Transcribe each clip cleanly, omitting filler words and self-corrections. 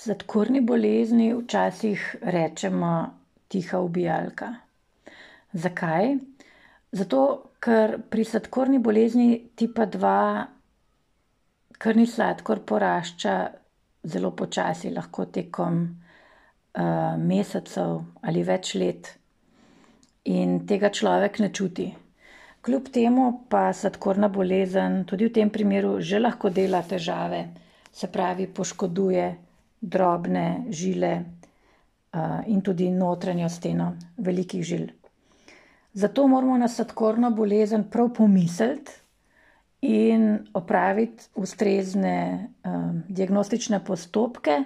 Sladkorni bolezni včasih rečemo tiha ubijalka. Zakaj? Zato, ker pri sladkorni bolezni tipa 2 krvni sladkor porašča zelo počasi, lahko tekom mesecev ali več let. In tega človek ne čuti. Kljub temu pa sladkorna bolezen tudi v tem primeru že lahko dela težave, se pravi poškoduje drobne žile in tudi notranjo steno velikih žil. Zato moramo na sladkorno bolezen prav pomisliti in opraviti ustrezne diagnostične postopke,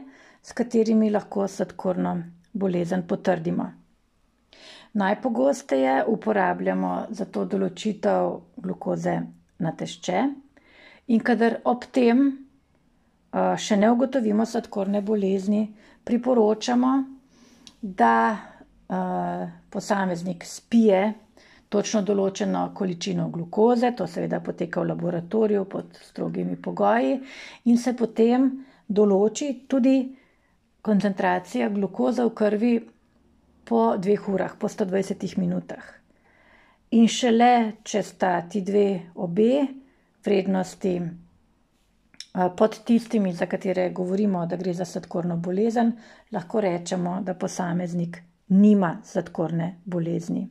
s katerimi lahko sladkorno bolezen potrdimo. Najpogosteje uporabljamo za to določitev glukoze na tešče in kadar ob tem še ne ugotovimo sladkorne bolezni, priporočamo, da posameznik spije točno določeno količino glukoze, to seveda poteka v laboratoriju pod strogimi pogoji, in se potem določi tudi koncentracija glukoze v krvi po 2 urah, po 120 minutah. In šele, če sta ti obe vrednosti pod tistimi, za katere govorimo, da gre za sladkorno bolezen, lahko rečemo, da posameznik nima sladkorne bolezni.